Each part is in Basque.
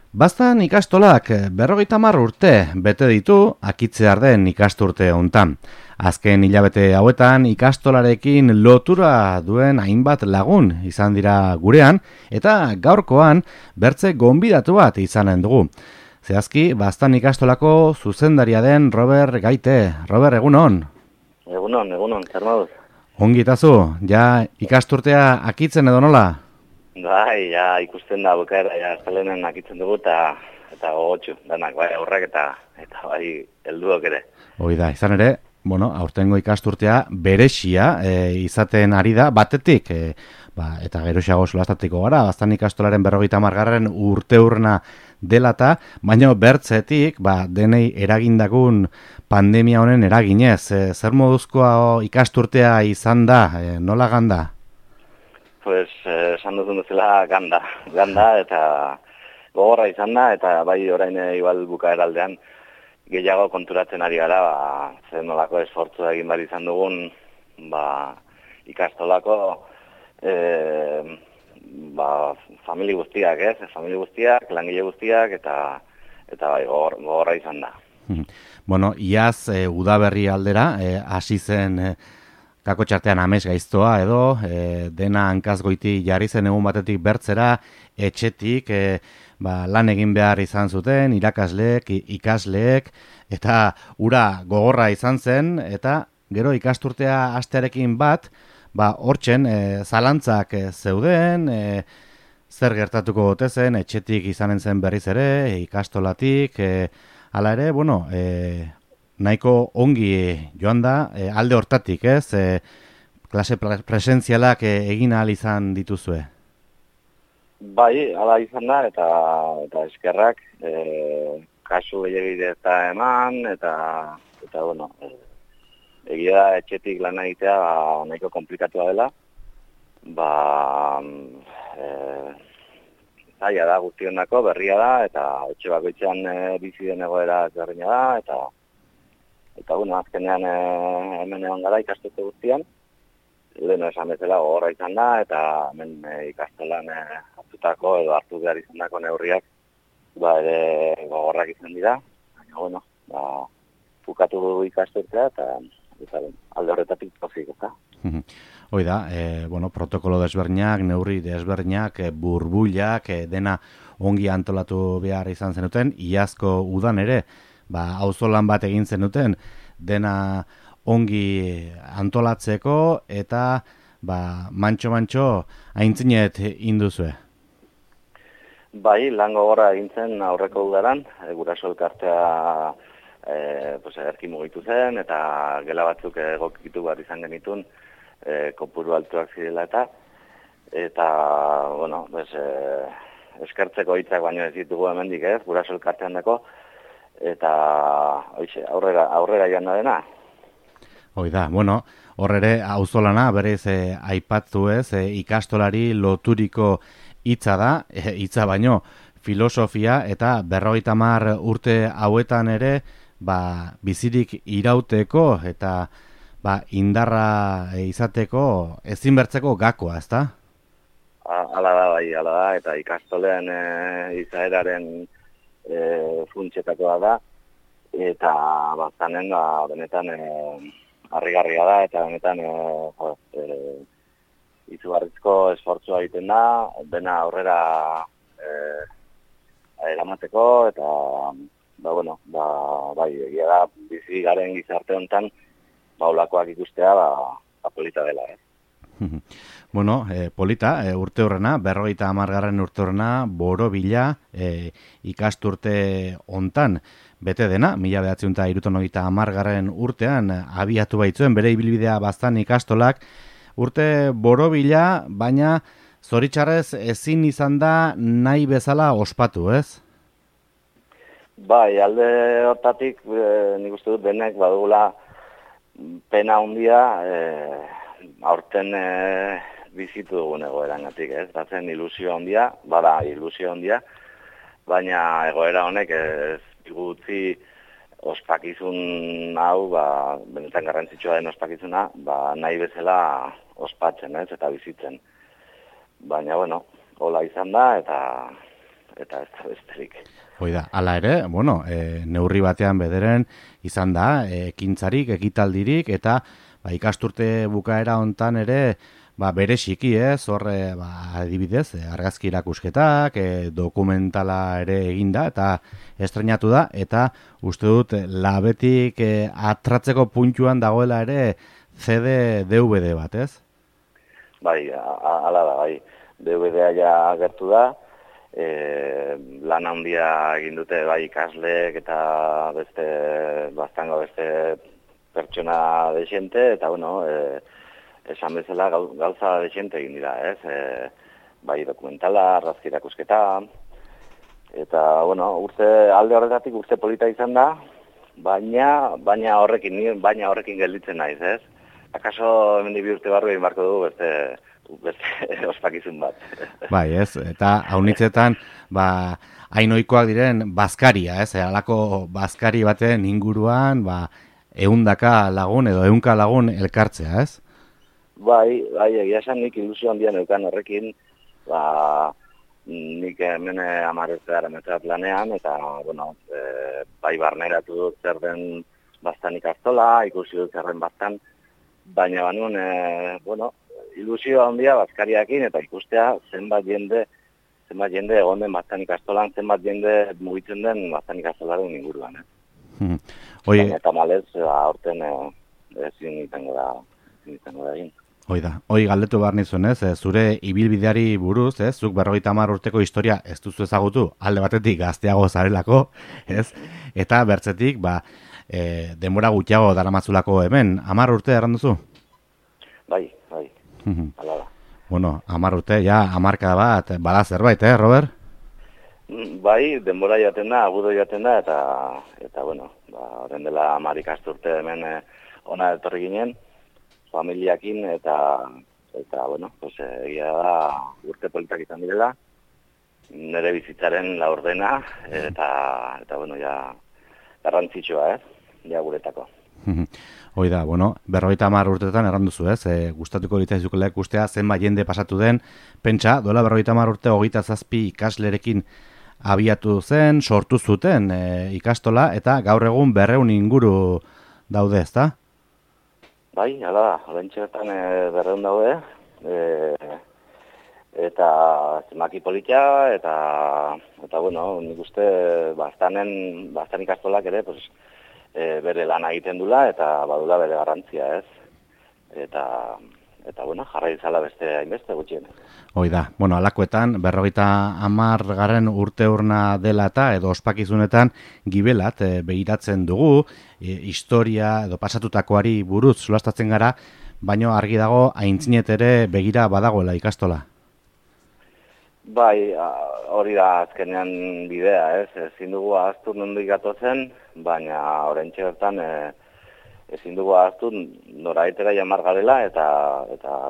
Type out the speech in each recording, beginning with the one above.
Baztan ikastolak 50 urte bete ditu akitzear den ikasturte hontan. Azken hilabete hauetan ikastolarekin lotura duen hainbat lagun izan dira gurean eta gaurkoan bertze gonbidatu bat izanen dugu. Zehazki, Baztan ikastolako zuzendaria den Robert Gaite. Robert, egunon? Egunon, zer moduz? Ongi itazu, ja ikasturtea akitzen edo nola? Bai, ja ikusten da bukaera, ja estalenen akitzen dugu eta gogotxu, danak, bai, aurrak eta bai, helduok ere. Hoi da, izan ere, aurtengo ikasturtea berexia izaten ari da, batetik, eta geroxeago solastatiko gara, Baztan ikastolaren 50. urteurrena dela eta, baina bertzetik, denei eragindakun pandemia honen eraginez, zer moduzkoa ikasturtea izan da, nola ganda? Pues, esan duzun duzela ganda eta gogorra izan da, eta bai orain igual bukaera aldean gehiago konturatzen ari gara, zer nolako esfortzu egin behar izan dugun, ikastolako famili guztiak, famili guztiak, langile guztiak, eta bai gogorra izan da. Bueno, iaz udaberri aldera, hasi zen kako txartean amez gaiztoa edo, dena hankazgoiti jarri zen egun batetik bertzera, etxetik, lan egin behar izan zuten, irakasleek, ikasleek, eta ura gogorra izan zen, eta gero ikasturtea hastearekin bat, hortzen zalantzak zeuden, zer gertatuko gote zen, etxetik izanen zen berriz ere, ikastolatik, hala ere, nahiko ongi joan da, alde hortatik, klase presentzialak egin ahal izan dituzue? Bai, hala izan da, eta eskerrak, kasu gehiagide eta eman, eta egia da etxetik lan egitea nahiko komplikatua dela, zaila da guztiondako, berria da, eta etxe bakoitzean bizi den egoera ezberdina da, eta azkenean hemen egon gara ikastetxe guztian, lehen esan bezala gogorra izan da, eta hemen ikastolan hartu behar izan dako neurriak, ere gogorrak izan dira, baina, bukatu ikastetxea, eta alde horretatik pozik, eta. Hoi da, protokolo desberdinak, neurri desberdinak, burbuilak, dena ongi antolatu behar izan zenuten, iazko udan ere, auzolan bat egin zenuten, dena ongi antolatzeko, eta mantxo aintzinet induzue. Bai, lan gogorra egin zen aurreko udaran, guraso elkartea erki mugitu zen, eta gela batzuk egokitu behar izan genitun, kopuru altuak zirela eta eskertzeko hitzak baino ez ditugu hemendik guraso elkartean dako, eta aurrera joan da dena. Hoi da, horre auzolana berez aipatzu ikastolari loturiko hitza da, hitza baino filosofia eta 50 urte hauetan ere bizirik irauteko eta indarra izateko ezinbertzeko gakoa, ezta? Hala da, eta ikastolean izaeraren funtsetakoa da, eta Baztanen benetan harrigarria da, eta benetan izugarrizko esfortzua egiten da, dena aurrera eramateko, eta egia da bizi garen gizarte honetan olakoak ikustea polita dela. Polita, urte horrena, 50. urte horrena, borobila ikasturte hontan bete dena, 1970 urtean abiatu baitzuen bere ibilbidea Baztan ikastolak, urte borobila, baina zoritxarrez ezin izan da nahi bezala ospatu, ez? Bai, alde hortatik nik uste dut denek badugula pena handia aurten bizitu dugun egoerangatik, ez? Batzen ilusio handia, ilusio handia, baina egoera honek ez digutzi ospakizun hau, benetan garrantzitsua den ospakizuna, nahi bezala ospatzen, ez? Eta bizitzen. Baina, hola izan da, eta ez da besterik. Hoi da, hala ere, bueno, neurri batean bederen izan da, ekintzarik, ekitaldirik, eta ikasturte bukaera hontan ere, bereziki, horre, adibidez, argazki erakusketak, dokumentala ere eginda, eta estrenatu da, eta uste dut, labetik atratzeko puntuan dagoela ere CD DVD bat, ez? Bai, hala da, bai. DVD-a ja agertu da, lan handia egin dute bai ikasleek eta beste pertsona desente, eta bueno, esan bezala gauza desente egin dira, ez? Bai dokumentala, argazki erakusketa, eta bueno, alde horretatik urte polita izan da, baina horrekin gelditzen naiz, ez? Akaso hemendik 2 urte barru egin barko dugu beste ospakizun bat. Bai, ez, eta haunitzetan, hainoikoak diren bazkaria, ez, halako bazkari baten inguruan, 100 lagun edo 100 lagun elkartzea, ez? Bai, egia esan nik ilusio handian eukan horrekin, nik hemen 10 urte daramatza planean, eta, bueno, bai barneratu dut zer den bastan ikastola, ikusi dut zer den bastan, baina banun, ilusio handia bazkariakin eta ikustea zenbat jende egon den bastan ikastolan, zenbat jende mugitzen den bastan ikastolaren inguruan. Baina eta malez, aurten ezin izango da egin. Hoi galdetu behar nizuen, ez? Zure ibilbideari buruz, ez? Zuk 50 urteko historia ez duzu ezagutu, alde batetik gazteago zarelako, ez? Eta bertzetik, denbora gutxiago daramazulako hemen, 10 urte erranduzu? Bai, hala da. Bueno, 10 urte, ja, 10 bat, bada zerbait, Robert? Bai, denbora joaten da, agudo joaten da, eta bueno, horren dela 10 ikasturte hemen ona etorri ginen, familiakin, eta bueno, egia da urte politak izan direla, nire bizitzaren laurdena, eta bueno, ja, garrantzitsua, ja guretako. Hoi da, bueno, 50 urteetan erranduzu, ez? Gustatuko litzaizukela ikustea zenbat jende pasatu den, pentsa, dola 50 urte 27 ikaslerekin abiatu zen, sortu zuten ikastola, eta gaur egun 200 inguru daude, ezta? Bai, hala da, horrentxe bertan 200 daude, eta zemaki politia, eta bueno, nik uste bastan ikastolak ere, bere lana egiten dula, eta badula bere garrantzia, ez? Eta bueno, jarra izala beste hainbeste gutxien. Hoi da, bueno, alakoetan, 50 urte urna dela eta edo ospakizunetan gibelat behiratzen dugu, historia edo pasatutakoari buruz solastatzen gara, baino argi dago aintzinet ere begira badagoela ikastola. Bai, hori da azkenean bidea, ez? Ezin dugu ahaztu nondik gatozen, baina oraintxe bertan ezin dugu ahaztu noraitera jamar garela, eta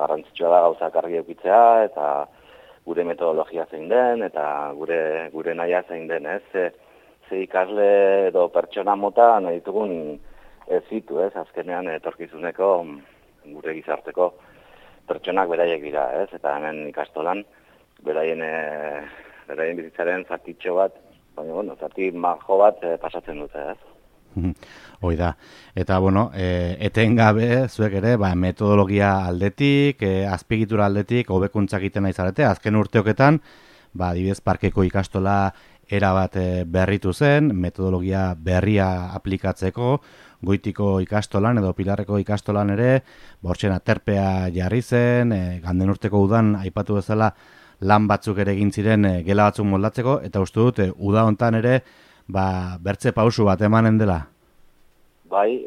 garrantzitsua da gauzak argi edukitzea, eta gure metodologia zein den, eta gure nahia zein den, ez? Ze ikasle edo pertsona mota nahi ditugun ez zitu, ez? Azkenean etorkizuneko gure gizarteko pertsonak beraiek dira, ez? Eta hemen ikastolan beraien bizitzaren zatitxo bat, baina, bueno, zati majo bat pasatzen dute, ez? Hoi da. Eta, bueno, etengabe, zuek ere, metodologia aldetik, azpiegitura aldetik, hobekuntzak egiten nahi zarete, azken urteoketan, adibidez, parkeko ikastola erabat berritu zen, metodologia berria aplikatzeko, Goitiko ikastolan edo Pilarreko ikastolan ere, bortxen aterpea jarri zen, ganden urteko udan aipatu bezala lan batzuk ere egin ziren gela batzuk moldatzeko, eta uste dut, uda hontan ere, bertze pausu bat emanen dela. Bai,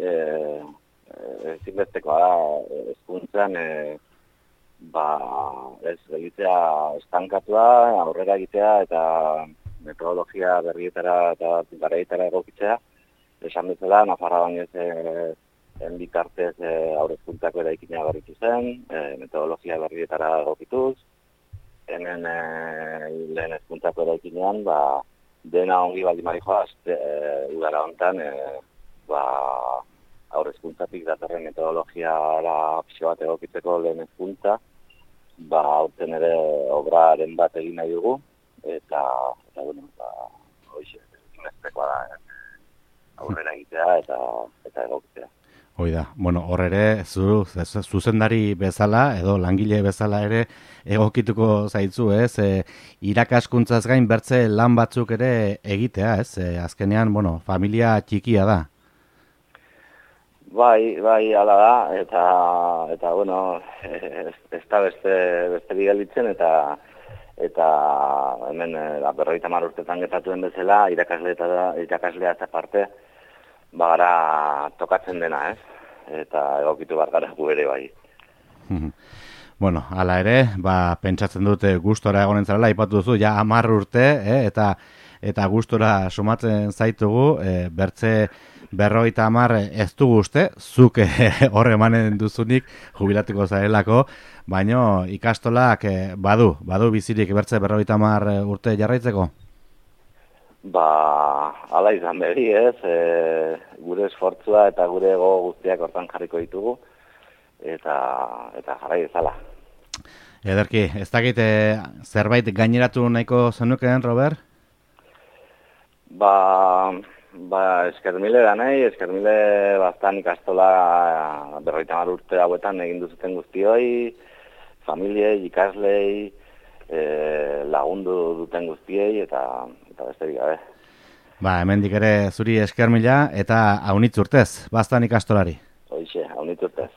ezinbestekoa da, hezkuntzan, ez egitea estankatua, aurrera egitea, eta metodologia berrietara eta garaietara egokitzea, esan bezala, Nafarra baino ez bitartez aurrezkuntzako eraikina berritu zen, metodologia berrietara egokituz, hemen lehen hezkuntzako eraikinean, dena ongi baldin marikoa, udara honetan, aurrezkuntzatik datorren metodologiara pixo bat egokitzeko lehen hezkuntza, aurten ere obraren bat egin nahi dugu, eta bueno, hoxe, inbestekoa da, aurrera egitea eta egokitea. Hoi da, bueno, hor ere, zuzendari bezala, edo langile bezala ere, egokituko zaitzu, ez? Irakaskuntzaz gain bertze lan batzuk ere egitea, ez? Azkenean, bueno, familia txikia da. Bai, hala da, eta bueno, ez da beste bigalitzen, eta hemen 50 urtetan gertatuen bezala, irakaslea eta parte, bagara tokatzen dena, ez? Eta egokitu gara gu ere bai. Bueno, hala ere, pentsatzen dute gustora egonen zarela, ipatu duzu, ja 10 urte, eta gustora sumatzen zaitugu, bertze 50 ez dugu uste, zuk hor emanen duzunik jubilatuko zarelako, baino ikastolak badu bizirik bertze 50 urte jarraitzeko? Hala izan beri, ez, gure esfortzua eta gure ego guztiak hortan jarriko ditugu, eta jarrai ezala. Ederki, ez dakit zerbait gaineratu nahiko zenukeen, Robert? Eskermile da nahi, eskermile bastan ikastola 50 urte hauetan egin duzuten guztioi, familiei, ikaslei, lagundu duten guztiei, eta besterik gabe. Hemendik ere zuri eskermila eta aunitz urtez, bastan ikastolari. Hoixe, aunitz urtez.